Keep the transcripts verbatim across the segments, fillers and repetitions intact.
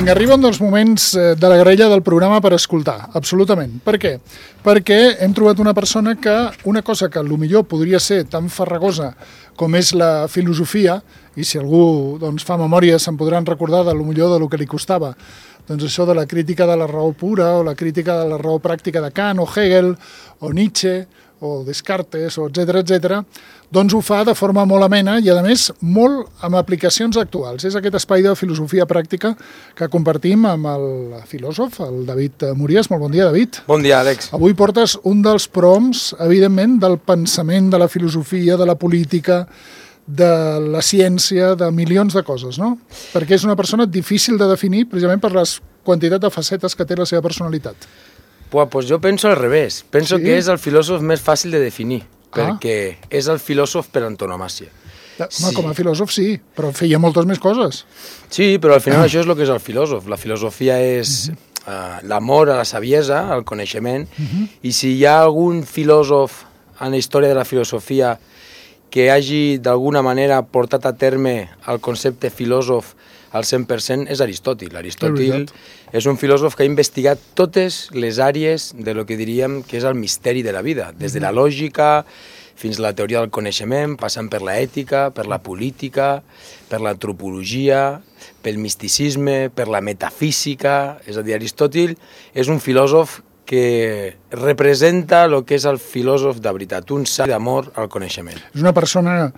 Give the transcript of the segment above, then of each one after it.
Vinga, arriba un dels moments de la grella del programa per escoltar, absolutament. Per què? Perquè hem trobat una persona que una cosa que potser podria ser tan farragosa com és la filosofia, i si algú doncs, fa memòria se'n podran recordar de potser del que li costava, doncs això de la crítica de la raó pura o la crítica de la raó pràctica de Kant o Hegel o Nietzsche o Descartes, o etcètera, etcètera, doncs ho fa de forma molt amena i, a més, molt amb aplicacions actuals. És aquest espai de filosofia pràctica que compartim amb el filòsof, el David Mories. Molt bon dia, David. Bon dia, Àlex. Avui portes un dels proms, evidentment, del pensament, de la filosofia, de la política, de la ciència, de milions de coses, no? Perquè és una persona difícil de definir precisament per les quantitat de facetes que té la seva personalitat. Pues, pues jo penso al revés. Penso sí? que és el filòsof més fàcil de definir, ah. perquè és el filòsof per antonomàsia. Home, sí. Com a filòsof sí, però feia moltes més coses. Sí, però al final ah. això és el que és el filòsof. La filosofia és uh -huh. uh, l'amor a la saviesa, al coneixement, uh -huh. i si hi ha algun filòsof en la història de la filosofia que hagi d'alguna manera portat a terme el concepte filòsof al cent per cent és Aristòtil. Aristòtil és un filòsof que ha investigat totes les àrees de lo que diríem que és el misteri de la vida, des de la lògica fins a la teoria del coneixement, passant per la ètica, per la política, per l'antropologia, pel misticisme, per la metafísica. És a dir, Aristòtil és un filòsof que representa el que és el filòsof de veritat, un sant d'amor al coneixement. És una persona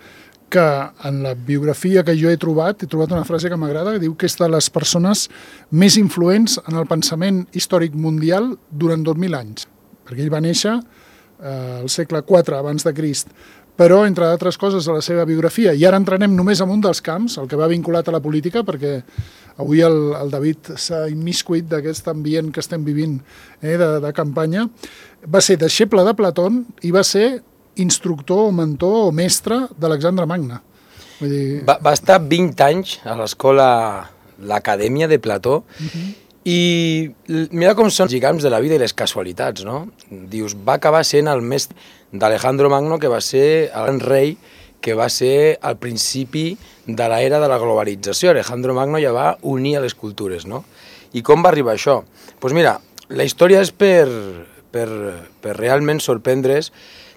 que en la biografia que jo he trobat, he trobat una frase que m'agrada, que diu que és de les persones més influents en el pensament històric mundial durant dos mil anys, perquè ell va néixer eh, al segle quatre abans de Crist, però, entre altres coses, a la seva biografia, i ara entrarem només en un dels camps, el que va vinculat a la política, perquè avui el, el David s'ha immiscuit d'aquest ambient que estem vivint eh, de, de campanya, va ser deixeble de Platón i va ser instructor o mentor o mestre d'Alexandre Magne. Vull dir... va, va estar vint anys a l'escola, l'acadèmia de Plató, uh-huh. i mira com són els lligams de la vida i les casualitats, no? Dius, va acabar sent el mestre d'Alejandro Magno, que va ser el gran rei, que va ser al principi de l'era de la globalització. Alejandro Magno ja va unir a les cultures, no? I com va arribar això? Doncs pues mira, la història és per, per, per realment sorprendre's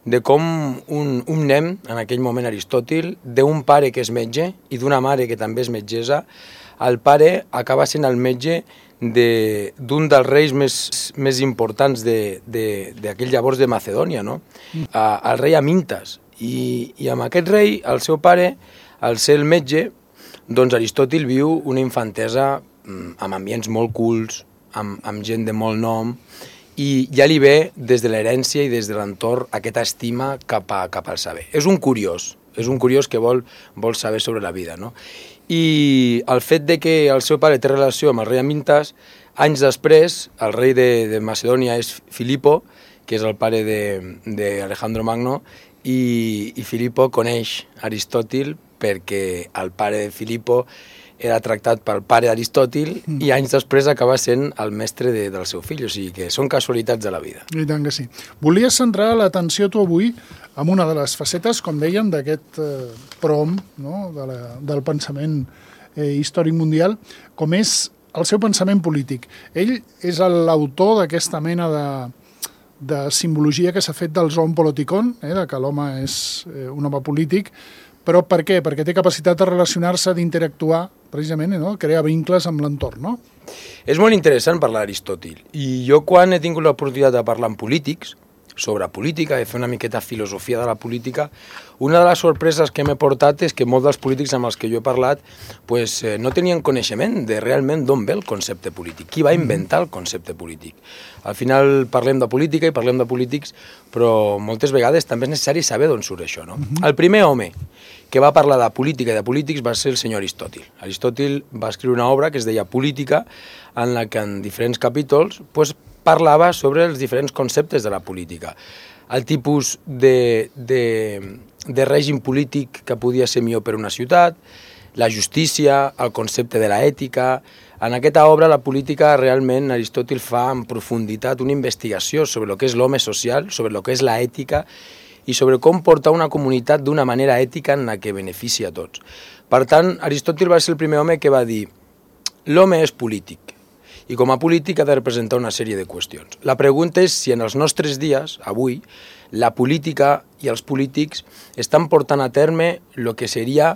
de com un, un nen, en aquell moment Aristòtil, d'un pare que és metge i d'una mare que també és metgessa, el pare acaba sent el metge d'un de, dels reis més, més importants d'aquell llavors de Macedònia, no? A, el rei Amintas. I, I amb aquest rei, el seu pare, al ser el metge, doncs Aristòtil viu una infantesa amb ambients molt cults, amb, amb gent de molt nom, i ja li ve des de l'herència i des de l'entorn aquesta estima cap, a, cap al saber. És un curiós, és un curiós que vol, vol saber sobre la vida, no? I el fet de que el seu pare té relació amb el rei Amintas, anys després, el rei de, de Macedònia és Filipo, que és el pare d'Alejandro Magno, i, i Filipo coneix Aristòtil perquè el pare de Filipo era tractat pel pare d'Aristòtil mm. i anys després acaba sent el mestre de, del seu fill, o sigui que són casualitats de la vida. I tant que sí. Volies centrar l'atenció tu avui en una de les facetes, com dèiem, d'aquest eh, prom, no? de la, del pensament eh, històric mundial, com és el seu pensament polític. Ell és l'autor d'aquesta mena de, de simbologia que s'ha fet del zoon politikon, eh, de que l'home és eh, un home polític, però per què? Perquè té capacitat de relacionar-se, d'interactuar, precisament, no? Crear vincles amb l'entorn, no? És molt interessant parlar d'Aristòtil. I jo, quan he tingut l'oportunitat de parlar amb polítics, sobre política, de fer una miqueta filosofia de la política, una de les sorpreses que m'he portat és que molts dels polítics amb els que jo he parlat pues, eh, no tenien coneixement de realment d'on ve el concepte polític, qui va inventar el concepte polític. Al final parlem de política i parlem de polítics, però moltes vegades també és necessari saber d'on surt això, no? El primer home que va parlar de política i de polítics va ser el senyor Aristòtil. Aristòtil va escriure una obra que es deia Política, en la que en diferents capítols pues, parlava sobre els diferents conceptes de la política. El tipus de, de, de règim polític que podia ser millor per una ciutat, la justícia, el concepte de l'ètica. En aquesta obra, la política, realment, Aristòtil fa en profunditat una investigació sobre el que és l'home social, sobre el que és l'ètica i sobre com portar una comunitat d'una manera ètica en la que beneficia a tots. Per tant, Aristòtil va ser el primer home que va dir l'home és polític i com a polític ha de representar una sèrie de qüestions. La pregunta és si en els nostres dies, avui, la política i els polítics estan portant a terme el que seria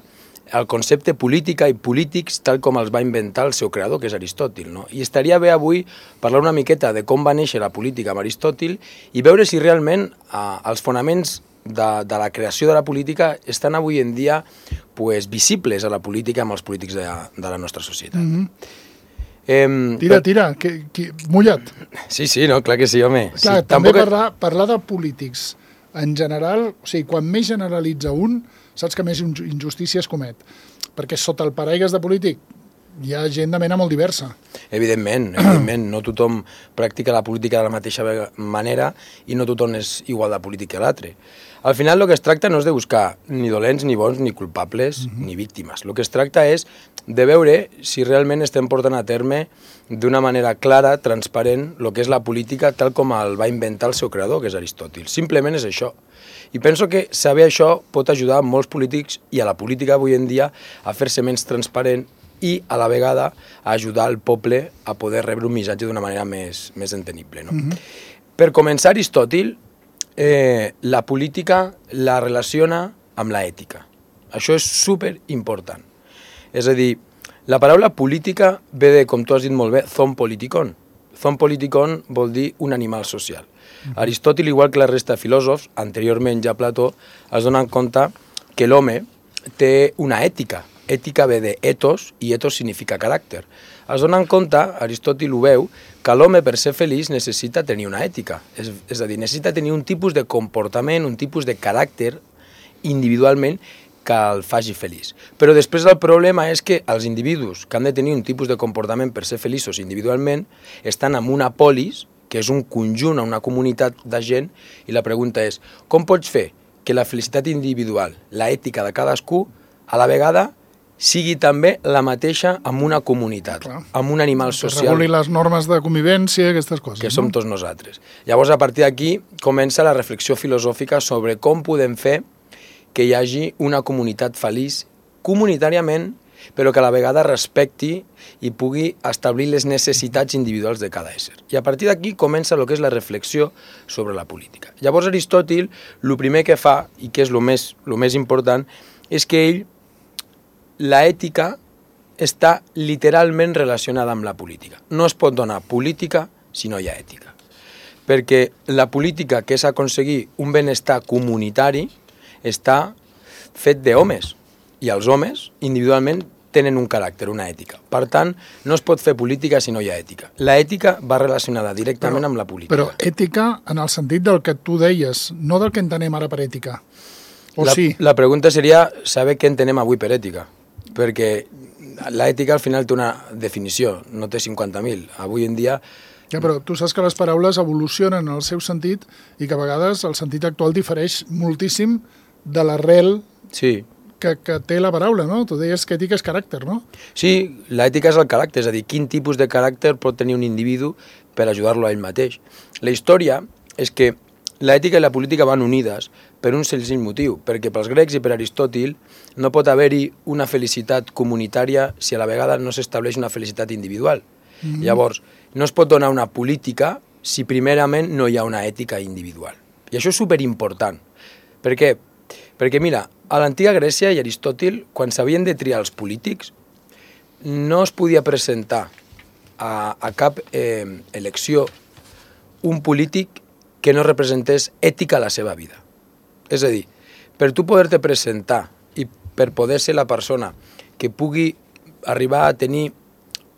el concepte política i polítics tal com els va inventar el seu creador, que és Aristòtil. No? I estaria bé avui parlar una miqueta de com va néixer la política amb Aristòtil i veure si realment eh, els fonaments de, de la creació de la política estan avui en dia pues, visibles a la política amb els polítics de, de la nostra societat. Mm-hmm. Eh, tira, tira, que, que, mullat. Sí, sí, no, clar que sí, home. Clar, sí, també tampoc... parlar, parlar de polítics en general, o sigui, quan més generalitza un, saps que més injustícies comet. Perquè sota el paraigues de polític hi ha gent de mena molt diversa. Evidentment, evidentment, no tothom practica la política de la mateixa manera i no tothom és igual de polític que l'altre. Al final el que es tracta no és de buscar ni dolents, ni bons, ni culpables, uh-huh. ni víctimes. El que es tracta és de veure si realment estem portant a terme d'una manera clara, transparent, el que és la política tal com el va inventar el seu creador, que és Aristòtil. Simplement és això. I penso que saber això pot ajudar molts polítics i a la política avui en dia a fer-se menys transparent i a la vegada a ajudar el poble a poder rebre un missatge d'una manera més, més entenible. No? Uh-huh. Per començar, Aristòtil eh, la política la relaciona amb la ètica. Això és super important. És a dir, la paraula política ve de, com tu has dit molt bé, zon politikon. Zon politikon vol dir un animal social. Uh-huh. Aristòtil, igual que la resta de filòsofs, anteriorment ja Plató, es donen compte que l'home té una ètica. Ètica ve de ethos, i ethos significa caràcter. Es donen compte, Aristòtil ho veu, que l'home per ser feliç necessita tenir una ètica. És, és a dir, necessita tenir un tipus de comportament, un tipus de caràcter individualment que el faci feliç. Però després el problema és que els individus que han de tenir un tipus de comportament per ser feliços individualment estan en una polis, que és un conjunt, una comunitat de gent, i la pregunta és, com pots fer que la felicitat individual, la ètica de cadascú, a la vegada sigui també la mateixa amb una comunitat, clar, amb un animal social. Que reguli les normes de convivència, aquestes coses. Que no? Som tots nosaltres. Llavors, a partir d'aquí, comença la reflexió filosòfica sobre com podem fer que hi hagi una comunitat feliç comunitàriament, però que a la vegada respecti i pugui establir les necessitats individuals de cada ésser. I a partir d'aquí comença el que és la reflexió sobre la política. Llavors, Aristòtil, el primer que fa, i que és el més, el més important, és que ell la ètica està literalment relacionada amb la política. No es pot donar política si no hi ha ètica. Perquè la política, que és aconseguir un benestar comunitari, està fet d'homes. I els homes, individualment, tenen un caràcter, una ètica. Per tant, no es pot fer política si no hi ha ètica. La ètica va relacionada directament però, amb la política. Però ètica en el sentit del que tu deies, no del que entenem ara per ètica. O la, sí? La pregunta seria saber què entenem avui per ètica. Perquè l'ètica al final té una definició, no té cinquanta mil. Avui en dia... Ja, però tu saps que les paraules evolucionen en el seu sentit i que a vegades el sentit actual difereix moltíssim de l'arrel sí. que, que té la paraula, no? Tu deies que ètica és caràcter, no? Sí, l'ètica és el caràcter, és a dir, quin tipus de caràcter pot tenir un individu per ajudar-lo a ell mateix. La història és que l'ètica i la política van unides per un senzill motiu, perquè pels grecs i per Aristòtil no pot haver-hi una felicitat comunitària si a la vegada no s'estableix una felicitat individual. Mm-hmm. Llavors, no es pot donar una política si primerament no hi ha una ètica individual. I això és superimportant. Per què? Perquè, mira, a l'antiga Grècia i Aristòtil, quan s'havien de triar els polítics, no es podia presentar a, a cap eh, elecció un polític que no representés ètica a la seva vida. És a dir, per tu poder-te presentar i per poder ser la persona que pugui arribar a tenir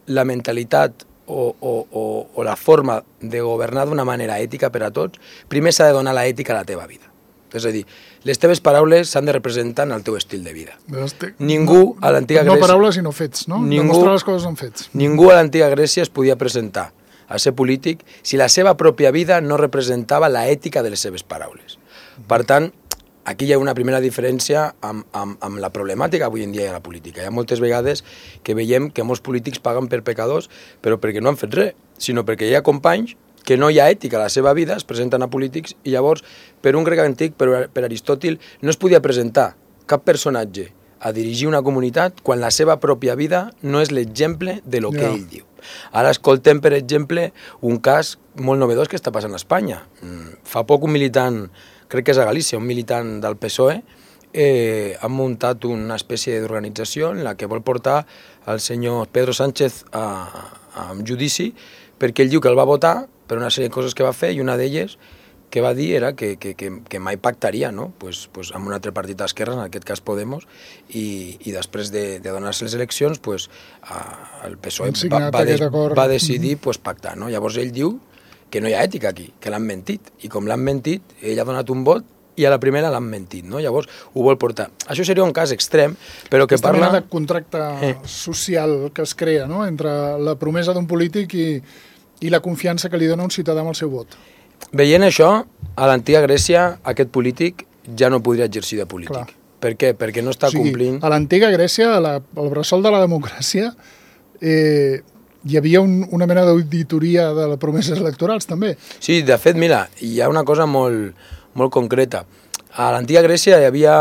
la mentalitat o, o, o, o la forma de governar d'una manera ètica per a tots, primer s'ha de donar la ètica a la teva vida. És a dir, les teves paraules s'han de representar en el teu estil de vida. Este... Ningú a l'antiga no, Grècia... No paraules sinó fets, no? Ningú, demostrar les coses amb fets. Ningú a l'antiga Grècia es podia presentar a ser polític si la seva pròpia vida no representava la ètica de les seves paraules. Per tant, aquí hi ha una primera diferència amb, amb, amb la problemàtica avui en dia de la política. Hi ha moltes vegades que veiem que molts polítics paguen per pecadors, però perquè no han fet res, sinó perquè hi ha companys que no hi ha ètica a la seva vida, es presenten a polítics, i llavors, per un grec antic, per, per Aristòtil, no es podia presentar cap personatge a dirigir una comunitat quan la seva pròpia vida no és l'exemple de lo que Ja. ell diu. Ara escoltem, per exemple, un cas molt novedós que està passant a Espanya. Fa poc un militant, crec que és a Galícia, un militant del P S O E, eh, ha muntat una espècie d'organització en la que vol portar el senyor Pedro Sánchez a, a un judici perquè ell diu que el va votar per una sèrie de coses que va fer i una d'elles que va dir era que, que, que, que mai pactaria, no? pues, pues amb un altre partit d'esquerra, en aquest cas Podemos, i, i després de, de donar-se les eleccions, pues, a, el P S O E va, va, de, va decidir pues, pactar. No? Llavors ell diu que no hi ha ètica aquí, que l'han mentit, i com l'han mentit, ell ha donat un vot i a la primera l'han mentit, no? Llavors ho vol portar. Això seria un cas extrem, però que Aquesta parla... mena de contracte eh. social que es crea, no?, entre la promesa d'un polític i, i la confiança que li dona un ciutadà amb el seu vot. Veient això, a l'antiga Grècia aquest polític ja no podria exercir de polític. Clar. Per què? Perquè no està o sigui, complint... A l'antiga Grècia, a la, al bressol de la democràcia, eh, hi havia un, una mena d'auditoria de les promeses electorals, també. Sí, de fet, mira, hi ha una cosa molt, molt concreta. A l'antiga Grècia hi havia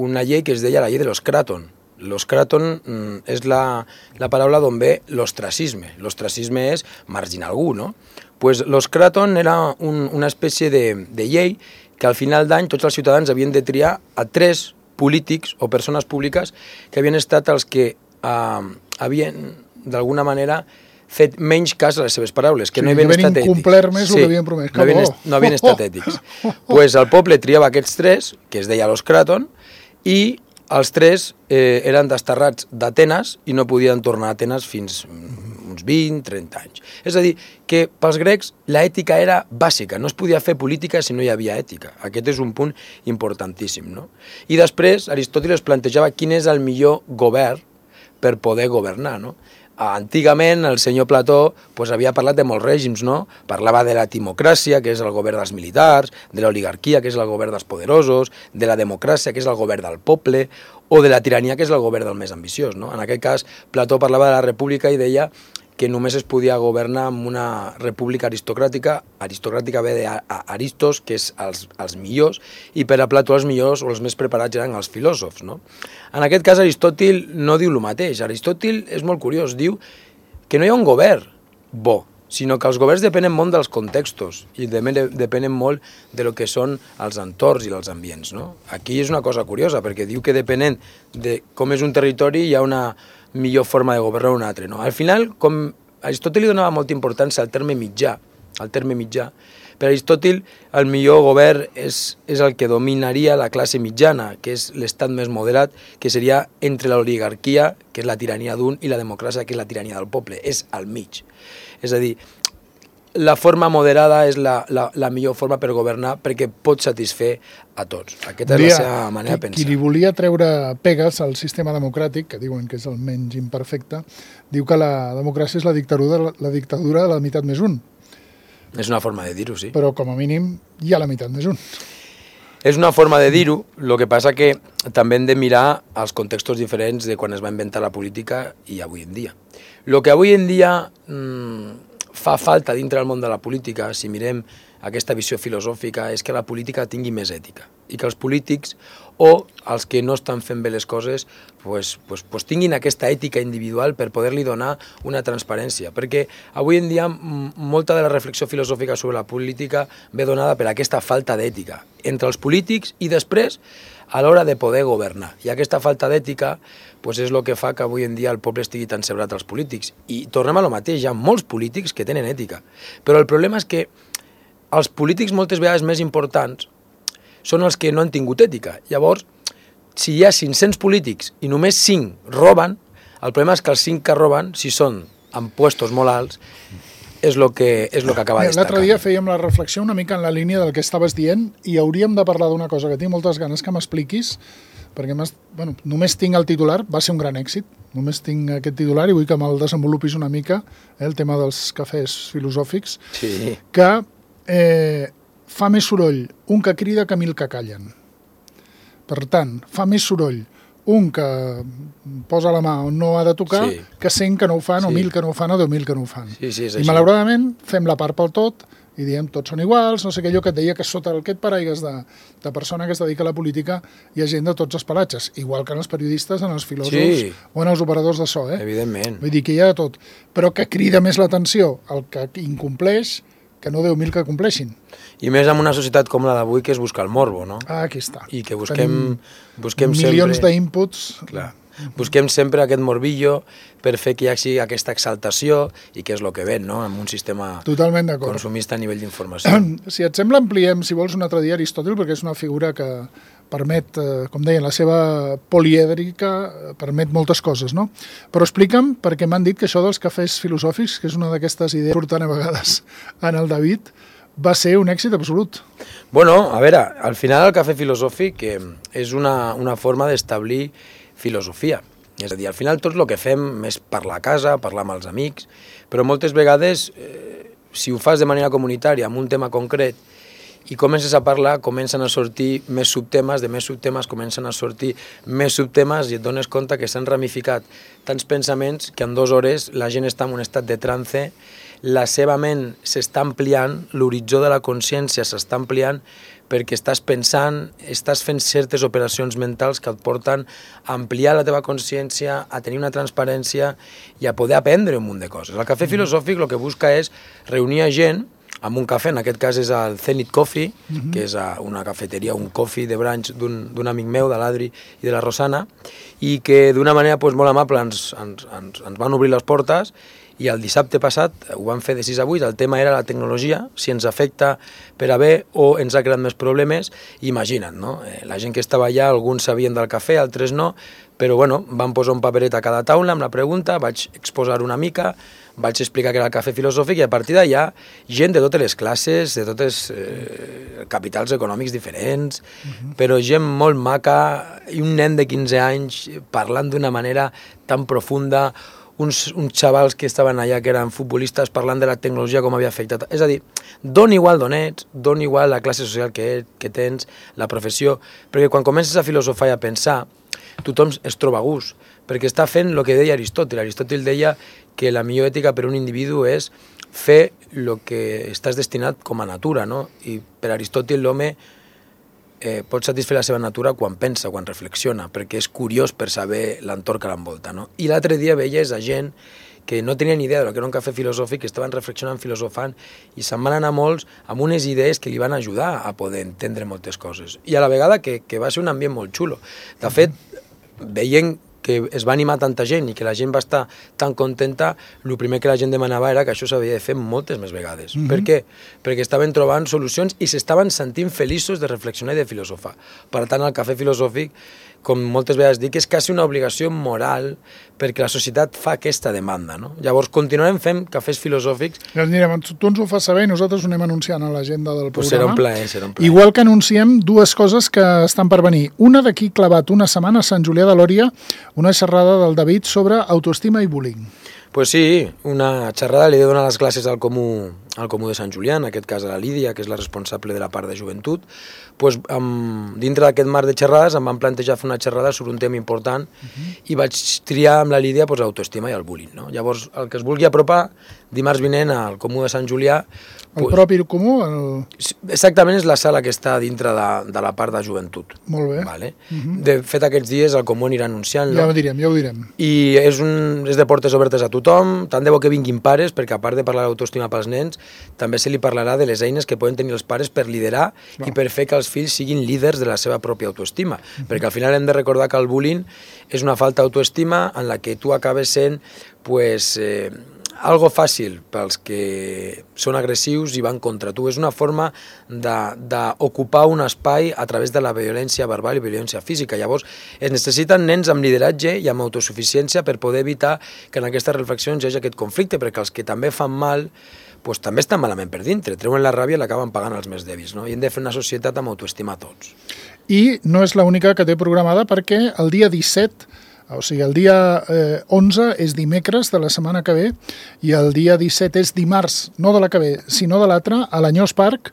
una llei que es deia la llei de los craton. Los craton mm, és la, la paraula d'on ve l'ostracisme. L'ostracisme és marginar algú, no? Pues los craton era un, una espècie de, de llei que al final d'any tots els ciutadans havien de triar a tres polítics o persones públiques que havien estat els que eh, havien, d'alguna manera, fet menys cas a les seves paraules, que sí, no havien estat ètics. incomplert més sí, el que havien promès. No havien, no havien estat ètics. Doncs pues el poble triava aquests tres, que es deia los craton, i els tres eh, eren desterrats d'Atenes i no podien tornar a Atenes fins uns vint, trenta anys. És a dir, que pels grecs l'ètica era bàsica, no es podia fer política si no hi havia ètica. Aquest és un punt importantíssim, no? I després Aristòteles plantejava quin és el millor govern per poder governar, no? Antigament el senyor Plató pues, havia parlat de molts règims, no? Parlava de la timocràcia, que és el govern dels militars, de l'oligarquia, que és el govern dels poderosos, de la democràcia, que és el govern del poble, o de la tirania, que és el govern del més ambiciós, no? En aquest cas, Plató parlava de la república i deia que només es podia governar amb una república aristocràtica. Aristocràtica ve d'Aristos, que és els, els millors, i per a Plató els millors o els més preparats eren els filòsofs, no? En aquest cas Aristòtil no diu el mateix. Aristòtil és molt curiós, diu que no hi ha un govern bo, sinó que els governs depenen molt dels contextos i depenen molt de lo que són els entorns i els ambients, no? Aquí és una cosa curiosa, perquè diu que depenent de com és un territori hi ha una millor forma de governar un altre, no? Al final, com Aristòtil li donava molta importància al terme mitjà, al terme mitjà, per Aristòtil el millor govern és, és el que dominaria la classe mitjana, que és l'estat més moderat, que seria entre l'oligarquia, que és la tirania d'un, i la democràcia, que és la tirania del poble, és al mig. És a dir, la forma moderada és la, la, la millor forma per governar perquè pot satisfer a tots. Aquesta és la seva manera de pensar. Qui li volia treure pegues al sistema democràtic, que diuen que és el menys imperfecte, diu que la democràcia és la dictadura, la dictadura de la meitat més un. És una forma de dir-ho, sí. Però com a mínim hi ha la meitat més un. És una forma de dir-ho, el que passa que també hem de mirar els contextos diferents de quan es va inventar la política i avui en dia. El que avui en dia mmm, fa falta dintre del món de la política, si mirem aquesta visió filosòfica, és que la política tingui més ètica i que els polítics o els que no estan fent bé les coses pues, pues, pues tinguin aquesta ètica individual per poder-li donar una transparència, perquè avui en dia molta de la reflexió filosòfica sobre la política ve donada per aquesta falta d'ètica entre els polítics i després a l'hora de poder governar. I aquesta falta d'ètica pues, és el que fa que avui en dia el poble estigui tan sebrat als polítics. I tornem a lo mateix, hi ha molts polítics que tenen ètica, però el problema és que els polítics moltes vegades més importants són els que no han tingut ètica. Llavors, si hi ha cinc-cents polítics i només cinc roben, el problema és que els cinc que roben, si són en puestos molt alts, és el que, és lo que acaba destacant. L'altre dia fèiem la reflexió una mica en la línia del que estaves dient i hauríem de parlar d'una cosa que tinc moltes ganes que m'expliquis, perquè bueno, només tinc el titular, va ser un gran èxit, només tinc aquest titular i vull que me'l desenvolupis una mica, eh, el tema dels cafès filosòfics, sí. que eh, fa més soroll un que crida que mil que callen. Per tant, fa més soroll un que posa la mà on no ha de tocar, sí. que cent que no ho fan, sí. o mil que no ho fan, o deu mil que no ho fan. Sí, sí, és I així. malauradament fem la part pel tot i diem tots són iguals, no sé què, allò que et deia que sota aquest paraigues de, de persona que es dedica a la política hi ha gent de tots els pelatges, igual que en els periodistes, en els filòsofs Sí. o en els operadors de so, eh? Evidentment. Vull dir que hi ha de tot, però que crida més l'atenció el que incompleix que no deu mil que compleixin. I més en una societat com la d'avui, que és buscar el morbo, no? Ah, aquí està. I que busquem, Tenim busquem milions sempre... d'inputs. Clar. Busquem sempre aquest morbillo per fer que hi hagi aquesta exaltació i que és el que ven, no?, en un sistema Totalment d'acord. consumista a nivell d'informació. Si et sembla, ampliem, si vols, un altre dia Aristòtil, perquè és una figura que permet, eh, com deien, la seva polièdrica, eh, permet moltes coses, no? Però explica'm, perquè m'han dit que això dels cafès filosòfics, que és una d'aquestes idees que surten a vegades en el David, va ser un èxit absolut. Bueno, a veure, al final el cafè filosòfic eh, és una, una forma d'establir filosofia. És a dir, al final tot el que fem és parlar a casa, parlar amb els amics, però moltes vegades, eh, si ho fas de manera comunitària, amb un tema concret, i comences a parlar, comencen a sortir més subtemes, de més subtemes comencen a sortir més subtemes i et dones compte que s'han ramificat tants pensaments que en dues hores la gent està en un estat de trance, la seva ment s'està ampliant, l'horitzó de la consciència s'està ampliant perquè estàs pensant, estàs fent certes operacions mentals que et porten a ampliar la teva consciència, a tenir una transparència i a poder aprendre un munt de coses. El cafè filosòfic el que busca és reunir a gent amb un cafè, en aquest cas és el Zenith Coffee, uh-huh. que és una cafeteria, un coffee de branch d'un amic meu, de l'Adri i de la Rosana, i que d'una manera pues, molt amable ens, ens, ens, ens van obrir les portes i el dissabte passat ho van fer de sis a vuit, el tema era la tecnologia, si ens afecta per a bé o ens ha creat més problemes, imagina't, no? Eh, la gent que estava allà, alguns sabien del cafè, altres no, però bueno, van posar un paperet a cada taula amb la pregunta, vaig exposar una mica, vaig explicar que era el cafè filosòfic i a partir d'allà gent de totes les classes, de totes eh, capitals econòmics diferents, uh-huh. però gent molt maca i un nen de quinze anys parlant d'una manera tan profunda, uns, uns xavals que estaven allà que eren futbolistes parlant de la tecnologia com havia afectat. És a dir, dona igual d'on ets, dona igual la classe social que, que tens, la professió, perquè quan comences a filosofar i a pensar, tothom es troba a gust, perquè està fent el que deia Aristòtil. Aristòtil deia que la millor ètica per un individu és fer el que estàs destinat com a natura, no? I per Aristòtil l'home eh, pot satisfer la seva natura quan pensa, quan reflexiona, perquè és curiós per saber l'entorn que l'envolta, no? I l'altre dia veies a gent que no tenien idea del que era un cafè filosòfic, que estaven reflexionant, filosofant, i se'n van anar molts amb unes idees que li van ajudar a poder entendre moltes coses. I a la vegada que, que va ser un ambient molt xulo. De fet, veient que es va animar tanta gent i que la gent va estar tan contenta, el primer que la gent demanava era que això s'havia de fer moltes més vegades. Mm-hmm. Per què? Perquè estaven trobant solucions i s'estaven sentint feliços de reflexionar i de filosofar. Per tant, el cafè filosòfic, com moltes vegades dic, és quasi una obligació moral perquè la societat fa aquesta demanda, no? Llavors, continuarem fent cafès filosòfics. Ja anirem, tu ens ho fas saber i nosaltres ho anem anunciant a l'agenda del programa. Pues serà un plaer, serà un plaer. Igual que anunciem dues coses que estan per venir. Una d'aquí clavat una setmana a Sant Julià de Lòria, una xerrada del David sobre autoestima i bullying. Pues sí, una xerrada, li he de donar les classes al Comú, al Comú de Sant Julià, en aquest cas a la Lídia, que és la responsable de la part de joventut. Pues, amb, dintre d'aquest marc de xerrades em van plantejar fer una xerrada sobre un tema important uh-huh. i vaig triar amb la Lídia pues, l'autoestima i el bullying. No? Llavors, el que es vulgui apropar, dimarts vinent al Comú de Sant Julià... El pues, propi Comú? El... Exactament, és la sala que està dintre de, de la part de joventut. Molt bé. Vale? Uh-huh. De fet, aquests dies el Comú anirà anunciant-lo. Ja ho direm, ja ho direm. I és, un, és de portes obertes a tothom, tant de bo que vinguin pares, perquè a part de parlar d'autoestima pels nens, també se li parlarà de les eines que poden tenir els pares per liderar no. i per fer que els fills siguin líders de la seva pròpia autoestima. Uh-huh. Perquè al final hem de recordar que el bullying és una falta d'autoestima en la que tu acabes sent pues, eh, algo fàcil pels que són agressius i van contra tu. És una forma d'ocupar un espai a través de la violència verbal i violència física. Llavors, es necessiten nens amb lideratge i amb autosuficiència per poder evitar que en aquestes reflexions hi hagi aquest conflicte, perquè els que també fan mal pues, també estan malament per dintre, treuen la ràbia i l'acaben pagant els més dèbils. No? I hem de fer una societat amb autoestima a tots. I no és l'única que té programada perquè el dia disset, o sigui, el dia eh, onze és dimecres de la setmana que ve i el dia disset és dimarts, no de la que ve, sinó de l'altra, a l'Anyós Parc,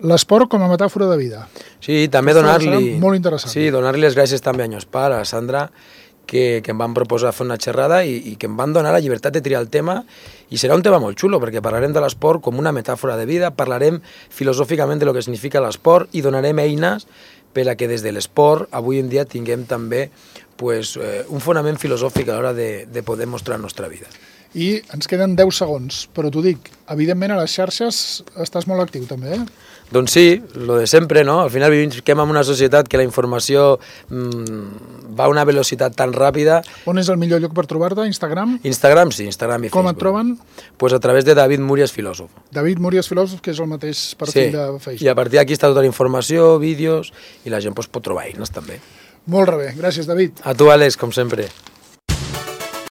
l'esport com a metàfora de vida. Sí, també donar-li... Molt interessant. Sí, donar-li les gràcies també a Anyós Parc, a la Sandra, que, que em van proposar fer una xerrada i, i que em van donar la llibertat de triar el tema, i serà un tema molt xulo, perquè parlarem de l'esport com una metàfora de vida, parlarem filosòficament de lo que significa l'esport i donarem eines per a que des de l'esport avui en dia tinguem també pues, eh, un fonament filosòfic a l'hora de, de poder mostrar la nostra vida. I ens queden deu segons, però t'ho dic, evidentment a les xarxes estàs molt actiu també, eh? Doncs sí, lo de sempre, no? Al final vivim en una societat que la informació mmm, va a una velocitat tan ràpida. On és el millor lloc per trobar-te? Instagram? Instagram, sí, Instagram i Com Facebook. et troben? Pues a través de David Múries Filòsof. David Múries Filòsof, que és el mateix perfil sí. de Facebook. I a partir d'aquí està tota la informació, vídeos, i la gent pues, pot trobar eines també. Molt bé, gràcies David. A tu, Àlex, com sempre.